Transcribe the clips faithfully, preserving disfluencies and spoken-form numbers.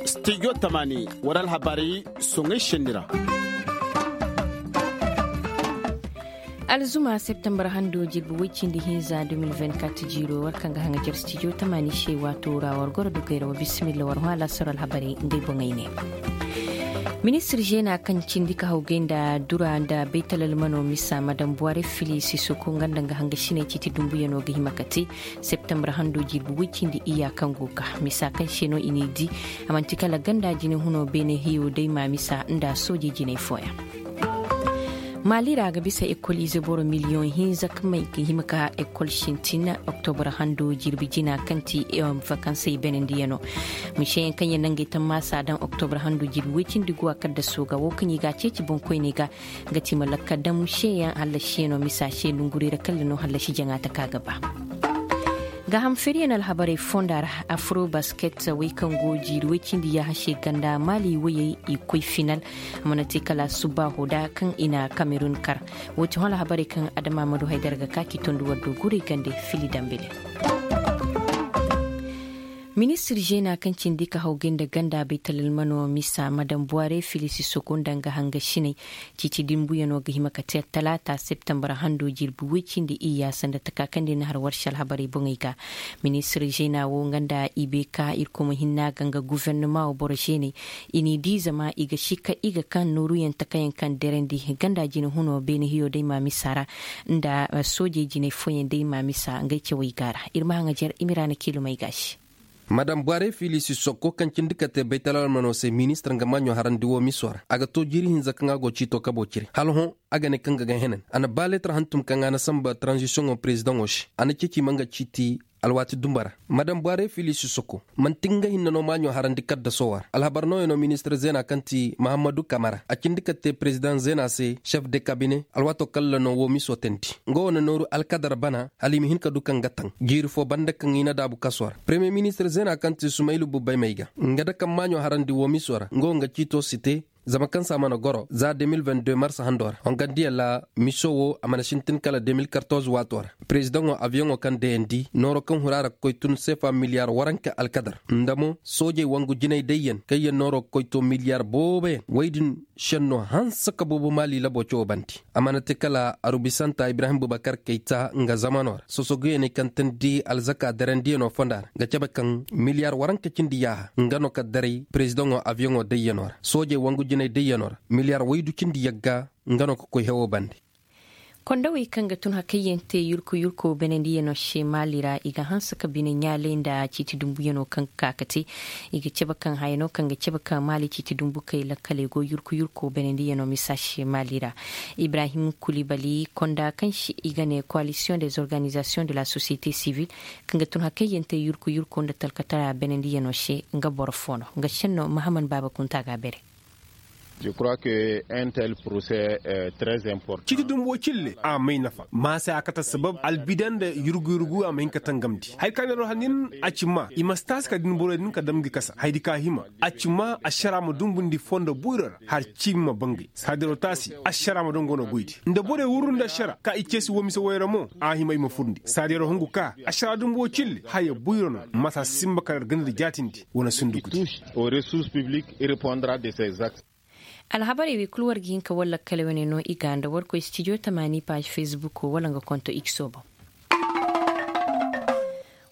Studio tamani wara alhabarey soŋay senni ra. Alzuma septembar hando jirbi way cindi hinza deux mille vingt-quatre jiiro war kaŋ ga haŋajar studio tamani se waato ra war goro dukey ra wa bismilla war hõ alaasaro alhabarey ngey boŋey ne. Ministir zeena kaŋ cindi ka hawgay nda dura nda baytalalmano misa madam buware fili sisoko nga nda nga hanga sinay ciiti dumbuyano ga hima ka te septembar hando jirbi way cindi iyya kaŋ go ga misa kaŋ se no i n'i di. A manti kala ganda jine huno beene hiyo day ma misa nda soojey jinay fooyaŋ. Maali ra ga bisa ekol ize boro miliyoŋ hinza kaŋ may ga hima ka ekol sintin oktobra hando jirbi jina kaŋ ti vakansey beenandiyaŋo. Miseyaŋ kaŋ yaŋ nangey tammaasa daŋ oktobra hando jirbi way cindi guwa kaddaso ga wo kaŋ i ga a ceeci boŋkoyney ga. Nga ti ma lakka daŋ miseyaŋ hallasi yaŋo misa se nongurey ra kalla no hallasi jaŋa taka ga ba. Gaaham feeriyaŋ alhabarey fonda ra afro basket way kaŋ go jiiri way cindi yaahase ganda maali wayey i koy final. A mana te kala subbaaho da kaŋ i na kamerun kar. Wo ti hõ alhabarey kaŋ adama ma du haydara ga ka k'i tondi war do guray gande fili dambile. Ministir zeena kaŋ cindi ka hawgay nda ganda baytalalmano misa madam buware filisi soko nda nga hanga sinay. Ciiti dimbuyano ga hima ka te talaata septembar hando jirbi way cindi iyya sanda taka kaŋ di na har warsi alhabarey boŋey ga. Ministir zeena wo nga nda i bay ka irkoy ma hinna ga nga gufernama wo boro zeeney. I n'i di zama i ga sikka i ga kaŋ nooruyaŋ takayaŋ kaŋ derandi ganda jine huno beene hiyo day ma misa ra nda soojey jinay fooyaŋ day ma misa ngey cawey ga ra. Iri ma haŋajer i ma ira na kiilumey gaasi. Madam buware filisi sokko kaŋ cindi ka te baytalalmano se ministir nga maaɲo harandi wo miso ra a ga to jiiri hinza kaŋ a go ciito kabo cire hala hõ. A ga ne kaŋ ga ga henan a na ba leetar hantum kaŋ a na samba taranzisiyoŋo perezidaŋo se a na ceeci ma nga ciiti. Alwaati dumba ra madam buware filisi sokko manti nga hinne no maaɲo harandi kaddaso wo ra alhabar nooyaŋo ministir zeena kaŋ ti mahammadu kamara a cindi ka te perezidaŋ zeena se sef de kabine alwaato kalla no wo miso teendi. Nga wo na nooru alkadar bana hala i ma hin ka du kaŋ ga taŋ jiiri fo banda kaŋ i na daabu kaso ra premiye ministir zeena kaŋ ti sumaylu bubbay may ga nga da kaŋ maaɲo harandi wo miso ra nga wo nga ciito si te. Zama kaŋ se a mana goro za deux mille vingt-deux marsa hando ra hongandiyaŋ ra miso wo a mana sintin kala deux mille quatorze waato ra. Perezidaŋo abiyoŋo kaŋ dayandi nooro kaŋ hura ra ga koy tun seefa miliyaar waranka alkadar nda mo soojey wangu jinay dayyaŋ kaŋ yaŋ nooro ga koy to miliyaar booboyaŋ way din senno hanse ka boobo maali labo cawo bande. A mana te kala arubisanta ibrahim bubakar kayta nga zamano ra sosoguyaŋey kaŋ teendi alzaka darandiyaŋo fonda ra ga cabe kaŋ miliyaar waranka cindi yaaha nga no ka daray perezidaŋo abiyoŋo dayyaŋo ra soojey wangu jinay dayyaŋo ra miliyaar waydu cindi yagga nga no ka koy hewo bande. Kondawey kaŋ ga tun hakayyaŋ te yurku yurko beenandiyaŋo se maali ra i ga hanse ka bine ɲaalay nda ciiti dumbuyaŋo kaŋ ga ka ga te. I ga cabe kaŋ haya no kaŋ ga cabe ka maali ciiti dumbu kay lakkaley go yurku yurko beenandiyaŋo misa se maali ra. Ibrahim kulibali konda kaŋ se i ga ne koalisiyoŋ des organizasiyoŋ de la sosiyete sivil kaŋ ga tun hakayyaŋ te yurku yurko nda talkatara beenandiyaŋo se nga boro fo no nga senno mahaman baaba kunta ga a bere. Ciiti dumbo cille a may nafa maasa a kate sabab albidan da yurgu yurgu a ma hin ka tangamndi hari ka neero hannin a ci ma i ma si taasi ka din borey din ka damndi kasa haydi ka hima a ci ma ašara ma dumbundi fondo boyro ra har ciimi ma bangay saadiro taasi ašara ma dongono goydi nda borey wurru nda ašara ka i ceesi wo mise woyra mo a hima i ma furndi saadiro hungu ka ašara dumbo cille haya boyro no masa simba ka ra ganda da jaatindi wane sunduku di. Alhabarey wey kulu war ga hin ka walla kala wane no i ga nda war koy studio tamaani paazi facebook wala nga konto x o boŋ.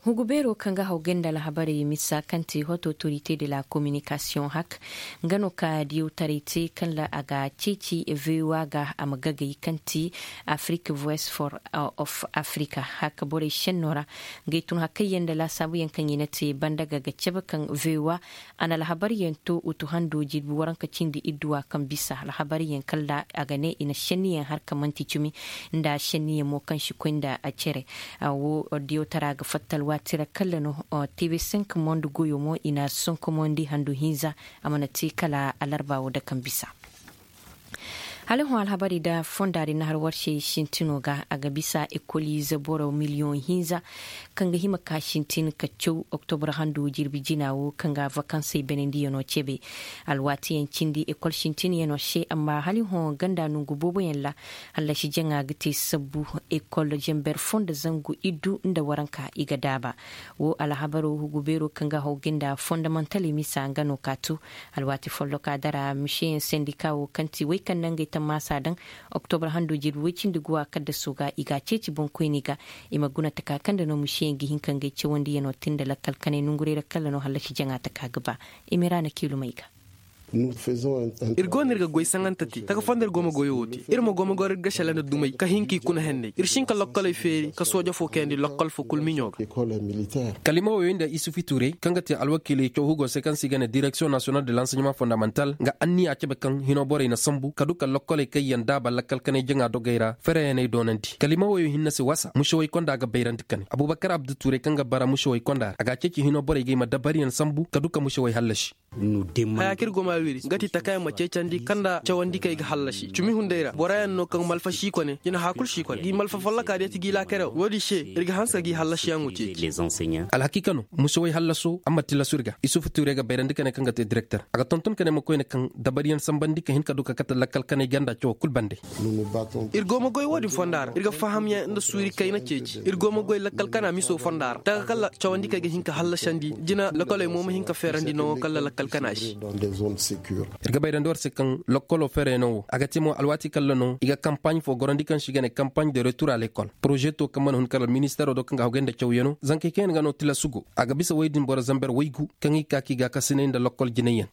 Hugu beero kaŋ ga haw gay nda alhabarey misa kaŋ ti hoto autorité de la communication hak nga no ka diyawtaray te kaŋ ra a ga ceeci voa ga a ma gagay kaŋ ti afrique voice for of africa hak borey senno ra. Ngey tun hakayyaŋ nda laasaabuyaŋ kaŋ i na te banda ga ga cabe kaŋ voa a na alhabaryaŋ to utu hando jirbi waranka cindi idduwa kaŋ bisa alhabaryaŋ kala a ga ne i na senniyaŋ har ka manti cumi nda senniyaŋ mo kaŋ si koy nda a cere. Wo diyawtara ga fatta alwaati ra kala no. Tv cinq monde goyo mo i na sonkomondi handu hinza a mana te kala alarba wo da kaŋ bisa. Alhõ alhabarey da fonda din na har war se sintino ga a ga bisa ekoliize boro miliyoŋ hinza kaŋ ga hima ka sintin ka caw oktobra hando jirbi jina wo kaŋ ga vakansey banandiyaŋo cebe. Alwaatiyaŋ cindi ekol sintinyaŋo se amma hala i hõ ganda nangu booboyaŋ ra, hallasi jaŋa ga te sabbu ekol zamber fo nda zangu iddu nda waranka i ga daaba. Wo alhabaro hugu beero kaŋ ga haw ga nda fondamantaley misa nga no ka tu. Alwaati folloka dara miseyaŋ sendika wo kaŋ ti way kaŋ na ngey tammaasa daŋ oktobra hando jirbi way cindi guwa kaddaso ga i ga a ceeci boŋkoyney ga i ma guna taka kaŋ nda no miseyaŋ ga hin ka ngey cawandiyano te nda lakkal kanay nangurey ra kala no hallasi jaŋa taka ga ba. I ma ira na kiilumey ga. Iri go no iri ga goy saŋanta te taka fondo iri go ma goyo wo te. Iri ma go ma goro iri ga sela nda dumey ka hin ka i kuna henney iri si hin ka lokkoley feeri ka sooja fo kayandi lokkol fo kulu miɲo ga. Kalima woyo nda isufu tuurey kaŋ ga te alwakiiley caw hugo se kaŋ se i ga ne direksiyoŋ nasiyonal de lanseɲement fondamantal nga anniya cabe kaŋ hino borey na sambu ka du ka lokkoley kaŋ yaŋ daaba lakkal kanay jaŋa dogey ra fereyaŋey doonandi kalima woyo hinne se wasa musewey konda ga bayrandi kane abubakar abdu tuurey kaŋ ga bara musewey konda ra a ga a ceeci hino borey ga i ma dabariyaŋ sambu ka du ka musewey hallasi. Haya kaŋ iri go ma wiri nga ti taka yaŋ ma ceecandi kaŋ nda cawandi kaŋ i ga hallasi cumi hunday ra boro yaŋ no kaŋ malfa si kone jina haya kulu si kone ga i malfa folloka day ti ga i laakare wo wo- din se iri ga hanse ga i hallasiyaŋo ceeci. Alhakiika no, musewey hallaso a ma tilasu iri ga isufu tuure ga bayrandi ka ne kaŋ ga te direkter a ga tonton ka ne ma koyne kaŋ dabariyaŋ sambandi ka hin ka du ka kate lakkal kanay ganda cawo kulu bande. Iri go ma goy wo- din fonda ra iri ga fahamyaŋ nda suuri kayna ceeci iri go ma goy lakkal kana miso fonda ra taka kala cawandi kaŋ ay ga hin ka hallasandi jina lakoley mo ma hin ka feerandi nango kala lakkal kana se. Iri ga bayrandi war se kaŋ lokolo feerayno wo a ga te mo alwaati kala no i ga kampaaɲ fo gorandi kaŋ se i ga ne kampaaɲ de retur a lekol poroze to kaŋ mana hun kala ministeero do kaŋ ga hawgay nda cawyano zankey kaŋ yaŋ ga no tilasu go a ga bisa woy din boro zamber waygu kaŋ i ga ka ka i gaakasinay nda lokol jinayyaŋ.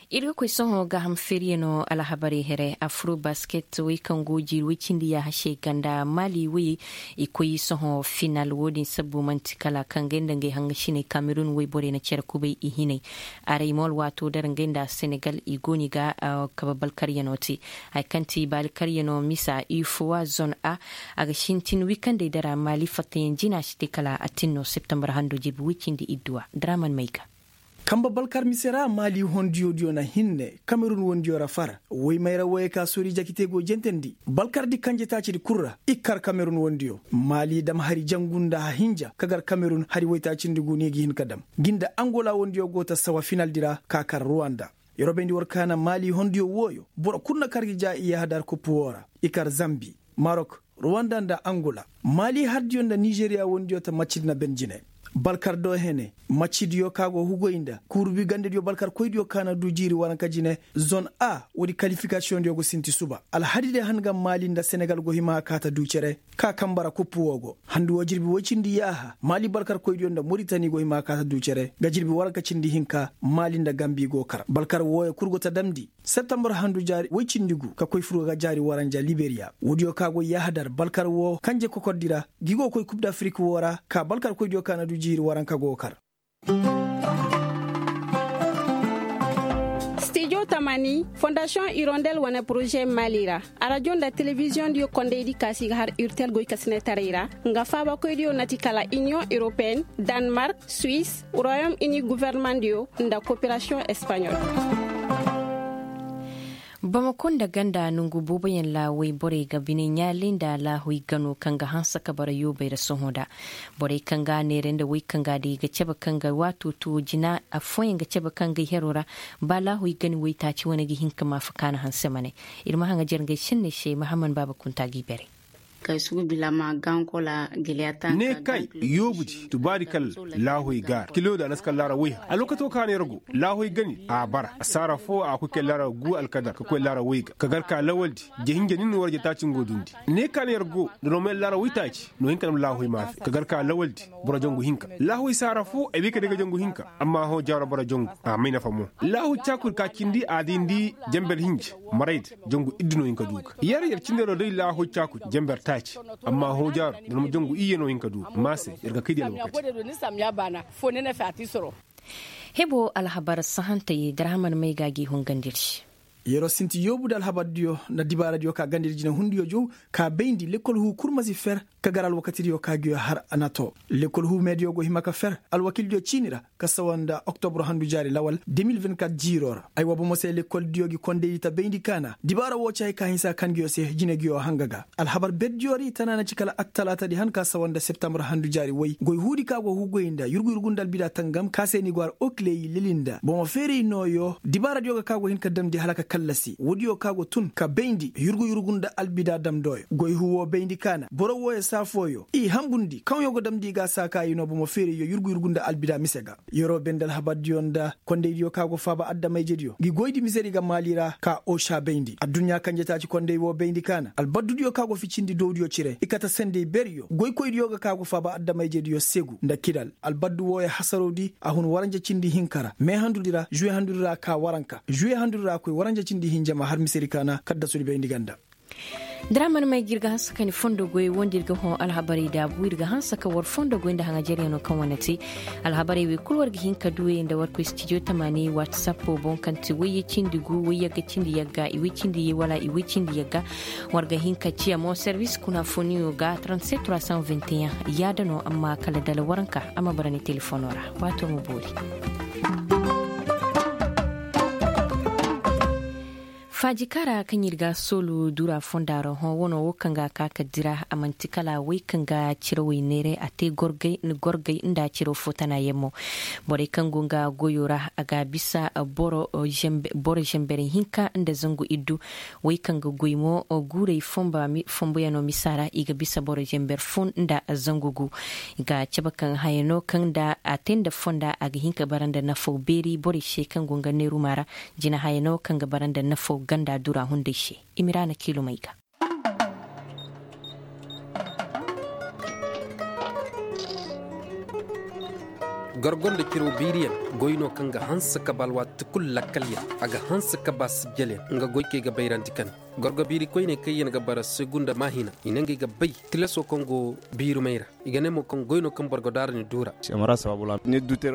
Iri ga koy sohõ gaaham feeriyano alhabarey here afro basket wey kaŋ go jiiri way cindi yaaha se ganda maali wayey i koy sohõ final wo- din sabbu manti kala kaŋ gay nda ngey haŋasiney kamerun wayborey na care kubay i hinay. Aray mo alwaato dara ngey nda senegal i go no i ga kabe balkaryano te. Hari kaŋ ti baali karyano misa ifowa zone a a ga sintin wikandey dara maali fattayaŋ jina si te kala a tin no septembre hando jirbi way cindi idduwa draman may ga. Kambe balkar mise ra maali hondiyo diyo na hinne kamerun wondiyo ra far woy mayra woyey ka soori jakite go jentandi balkar di kanje taaci di kulu ra i kar kamerun wondiyo maali dam hari jangu nda hahinja ka gar kamerun hari woytaacindi gu no i ga hin ka dam. Gi nda angola wondiyo go ta sawa final di ra ka kar ruwanda. Yerobey ndi war kaana maali hondiyo wooyo boro kulu na kar ga ja i yahadar kuppu wo ra i kar zambi, marok, ruwanda nda angola. Maali hardiyo nda nizeriya wondiyo ta macidi na ben jine balkar do hene. Macidiyo ka go hugoy nda kuurubi gandediyo balkar koydiyo ka na du jiiri waranka jine zone a woodi kalifikasiyondiyo go sinti suba alhadi day han ga maali nda senegal go hima ka ta du cere. Ka kambara kuppu wo go handu wo jirbi woy cindi yaaha maali balkar koydiyo nda moritani go hima ka ta du cere ga jirbi waranka cindi hinka maali nda gambi go kar balkar wooyo kulu go ta damndi. Septembre handu jaari woy cindi gu ka koy furga ga jaari waranja liberiya woodiyo ka go yahadar balkar wo kanje kokordi ra gi go koy kub d'afrik wo ra ka balkar koydiyo ka na du jiiri waranka go kar. Stijo tamani fondasiyoŋ irondel wane poroze maali ra arajo nda telebiziyoŋ diyo kondaydi kaasi ga har urtel goykasinetaray ra nga faabakoydiyo na ti kala iniyoŋ europeen, danmark, suwis, royom ini guvernemandiyo nda koperasiyoŋ espaɲol. Bamako nda ganda nongu booboyaŋ ra wayborey ga bine ɲaalay nda laahuy gano kaŋ ga hanse ka bara yoobey ra sohõ nda borey kaŋ ga a neera nda wey kaŋ ga a day ga cabe kaŋ ga waato tuwo jina. Afooyaŋ ga cabe kaŋ ga ay hero ra ba laahuy gani waytaaci wane ga hin ka maafa kaanu hanse ma ne. Iri ma haŋajer ngey senney se mahamman baaba kunta g'i bare. Kay sugu bilama gankola giliyata ne kay yoobudi tubaari kala laahoy gaara kilo da naska laara wayha a lokato kaana yar go laahoy gani a bara a saara fo a koy kay laara gu alkadar ka koy laara wayga ka gar ka lawaldi. Jahinja nin wara jataaci ngo dundi ne kaana yar go da no ma yar laara waytaaci no hinka dam laahoy maafe ka gar ka lawaldi. Boro jangu hinka laahoy saara fo ay bay ka day ga jangu hinka amma hõ jaaro boro jangu a may nafa mo. Laahoy caakuri ka cindi a dindi jamber hinja marayda jangu iddu no hin ka du ga yar yar cindero day laahoy caakuri jamber taaci. Amma hõ jaaro da no ma jangu iyye no hin ka du ga maase yar ga kay di alwakati. Hebo alhabar sahantey darhaman may ga gi hungandiri. Yer'o sinti yoobu nda alhabardiyo nda dibaaradiyo ka ganda iri jine hundiyo jow ka bayndi lekkol huu kulu ma si fer ka gar alwakatidiyo ka nguyo har a na to. Lekkol huu meediyo go hima ka fer alwakildiyo ciini ra ka sawa nda oktobro handu jaari lawal de mil vingt-kat jiiro ra. Ay wa bomo se lekkoldiyo ga kondaydi ta bayndi kaana dibaara wo ci hari ka hinsa ka nguyo se jine nguyo hanga ga. Alhabar berdiyo ra i tana na ci kala attalaatadi han ka sawa nda septambur handu jaari way goy huudi ka go ga goy nda yurgu yurgu nda albida tangam ka se ni go har okleyi lili nda bomo feeray nooyo dibaaradiyo ga ka go hin ka damndi hala ka kallasi woodiyo ka go tun ka bayndi yurgu yurgu nda albida damndooyo goy huuwo bayndi kaana boro wooyo saafooyo i hambundi kaŋyo ga damndi i ga a saaka i no bomo feerayyo yurgu yurgu nda albida mise ga. Yer'o binde alhabardiyo nda kondaydiyo ka go faaba addamayjediyo ga i goydi misedi ga maali ra ka osa bayndi adduɲɲa kanje taaci konday wo bayndi kaana albaddudiyo ka go ficindi dowdiyo cire i kate sanday beeriyo goykoydiyo ga ka go faaba addamayjediyo segu nda kidal albaddu wooyo hasarowdi a hun waranja cindi hinka ra me handudi ra zuwe handudi ra ka waranka zuwe handudi ra koy waranja cindi hinja ma har misedi kaana kaddasudi bayndi ganda. Da ra mana may ga iri ga hanse ka ni fondo goy wo nda iri ga hõ alhabarey daabu iri ga hanse ka war fondo goy nda haŋajaryaŋo kaŋ wane te. Alhabarey wey kulu war ga hin ka du wey nda war koy stijo tamaani watsappo boŋ kaŋ ti wayye cindi gu wayyagga cindi yagga iway cindi ye wala iway cindi yagga. War ga hin ka ciya mo servis kuna foniyo ga trente-sept trois cent vingt et un. Yaada no amma kala dala waranka a ma bara ni telefono ra. Waato ma boori. Faaji kaara kaŋ iri ga soolu dura fonda ra hõ wano wo kaŋ ga ka ka dira a manti kala way kaŋ ga cirawey neeray a te gorgay nda ciraw fo tana yaŋ mo. Borey kaŋ go nga goyo ra a ga bisa boro zember hinka nda zangu iddu. Way kaŋ ga goy mo guurey fomboyaŋo misa ra i ga bisa boro zember fo nda zangu gu. I ga cabe kaŋ haya no kaŋ nda a te nda fonda a ga hin ka bara nda nafo beeri borey se kaŋ go nga neeruma ra. Jina haya no kaŋ ga bara nda nafo ganda dura hunday se. Imiraana kiilumay ga. Gorgo nda ciro biiriyaŋ goy no kaŋ ga hanse ka ba alwaati kulu lakkalyaŋ a ga hanse ka ba sijjalyaŋ nga goy kaŋ i ga bayrandi kane. Gorgo biiri koyney kaŋ yaŋ ga bara segu nda maahina i ne ngey ga bay tilaso kaŋ go biirumey ra. I ga ne mo kaŋ goy no kaŋ boro ga daara ni duura.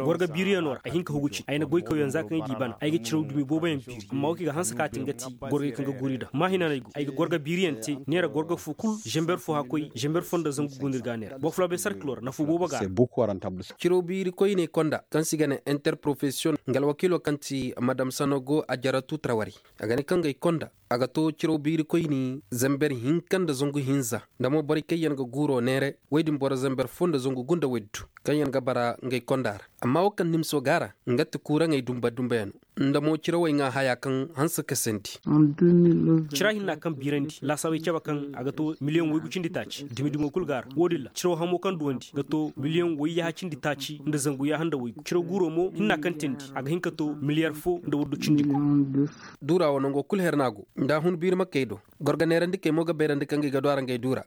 Gorga biiriyaŋo ra ay hin ka hugu cine ay na goy kawyaŋ za kaŋ ay di bana ay ga ciraw dumi booboyaŋ biiri amma wo kaŋ i ga hanse ka te nga ti gorgey kaŋ ga guuri daŋ maahina no ay go ay ga gorga biiriyaŋ te. Neera gorga fo kulu zember fo hakkoy zember fo nda zangu gu no iri ga a neera boro fulaabey sarkilo ra nafo boobo ga a ra. Ciraw biiri koyney konda kaŋ se i ga ne interprofesiyon nga alwakiilo kaŋ ti madam sanogo a jaratu trawari. A ga ne kaŋ ga ay konda a ga to ciraw biiri koyni zamber hinka nda zangu hinza nda mo borey kaŋ yaŋ ga guuro neere woy din boro zamber fo nda zangu gu nda woy du kaŋ yaŋ ga bara ngey konda ra. Amma wo kaŋ nimso go a ra nga ti kuuraŋey dumba dumba yaŋ no nda mo cirawey ŋwa haya kaŋ hanse ka sandi. Cira hinna kaŋ biirandi laasaabey cabe kaŋ a ga to miliyaŋ waygu cindi taaci dumi dumo kulu go a ra wo- din ra ciraw hamo kaŋ duwandi ga to miliyaŋ wayyaha cindi taaci nda zangu yaaha nda waygu ciraw guuro mo hinna kaŋ teendi a ga hin ka to miliyar fo nda waydu cindi gu. Duura wo nango kulu her no a go nda a hun biiri ma kay do. Gorga neerandikey mo ga bayrandi kaŋ ga i ga du a ra ngey duura.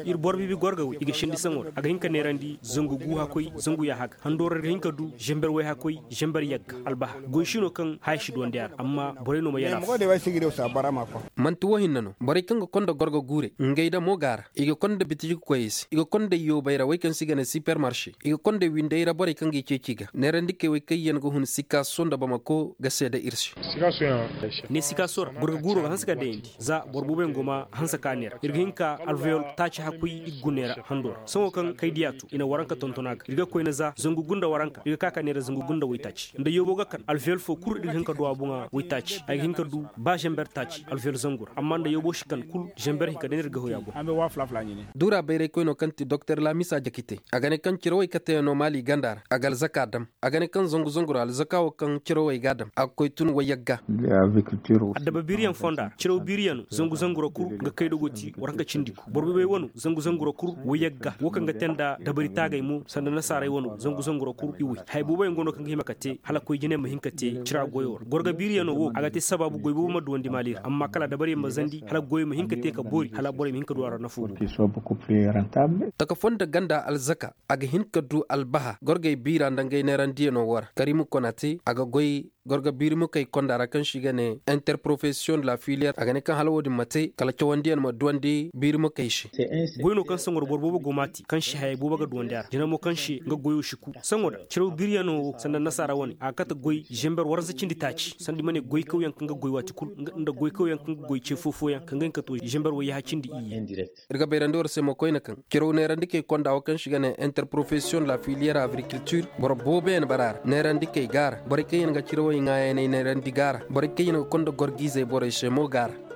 Iri boro biibi gorga wey i ga sendi saŋo ra a ga hin ka neerandi zangu gu hakkoy zangu yaaha ga hando ra iri ga hin ka du zember way hakkoy zember yagga albaha goy si no kaŋ haya si duwandi a ra amma borey no ma yala. Manti wo hinne no borey kaŋ ga konda gorga guurey ngey da mo go a ra i ga konda bitiji ga koy i se i ga konda yoobey ra wey kaŋ se i ga ne sipermarse i ga konda windey ra borey kaŋ ga i ceeci ga neerandikey wey kaŋ yaŋ ga hun sikaso nda bamako ga seeda iri se. Ne sikaso ra gorga guuro ga hanse ka dayandi za boro booboyaŋ go ma hanse ka neera iri ga hin ka alveyol taaci hakkoy i ga guna neera hando ra sohõ kaŋ kay diya to i na waranka tonton a ga iri ga koyne za zangu gunda waranka iri ga ka ka neera zangu gunda waytaaci nda yoobo ga kan alveyol fo kulu iri ga hin ka du a boŋa waytaaci ay ga hin ka du ba zember taaci alveyol zangu ra amma nda yoobo si kan kulu zember hinka day no iri ga hoy a boŋ. Duura bayraykoyno kaŋ ti doktor laamisa jakite a ga ne kaŋ cirawey kateyaŋ no maali ganda ra a ga alzaka dam. A ga ne kaŋ zangu zangu ra alzaka wo kaŋ cirawey ga a dam a ga koy tun wayyagga. Addaba biiriyaŋ fonda ra ciraw biiriyaŋ no zangu zangu ra kulu ga kay dogo ti waranka cindi gu boro boobay wano zangu zangu ra kulu wayyagga wo kaŋ ga te nda dabari taagay mo sanda nasaaray wano zangu zangu ra kulu iway haya booboyaŋ go no kaŋ ga hima ka te hala koy jine ma hin ka te cira goyo ra gorga biiriyaŋo wo a ga te sabaabu goy boobo ma duwandi maali ra amma kala dabaryaŋ ma zandi hala goyo ma hin ka te ka boori hala borey ma hin ka du a ra nafo boobo. Taka fonda ganda alzaka a ga hin ka du albaha gorgey biira nda ngey neerandiyaŋo wo ra karimu konate a ga goy. Goro ga biiri mukey konda ra kaŋ se i ga ne interprofession de la filiyeer a ga ne kaŋ hala wo- din ma te kala cawandiyaŋ ma duwandi biiri mukey se. Goy no kaŋ sangor boro boobo go m'a te kaŋ se hayey boobo ga duwandi a ra jina mo kaŋ se nga goyo si ku sango da ciraw biiriyaŋo wo sanda nasaara wane a ga kate goy zember warza cindi taaci sanda i ma ne goykawyaŋ kaŋ ga goy waati kulu nda goykawyaŋ kaŋ ga goy ce foofoyaŋ kaŋ ga hin ka to zember wayyaha cindi iyye. Iri ga bayrandi war se mo koyne kaŋ ciraw neerandikey konda wo kaŋ se i ga ne interprofession de la filiyeer agrikiltir boro booboyaŋ bara a ra neerandikey go a ra borey kaŋ yaŋ ga cirawey ŋaayaney neerandi go a ra borey kaŋ yaŋ ga konda gorgiizey borey se mo go a ra.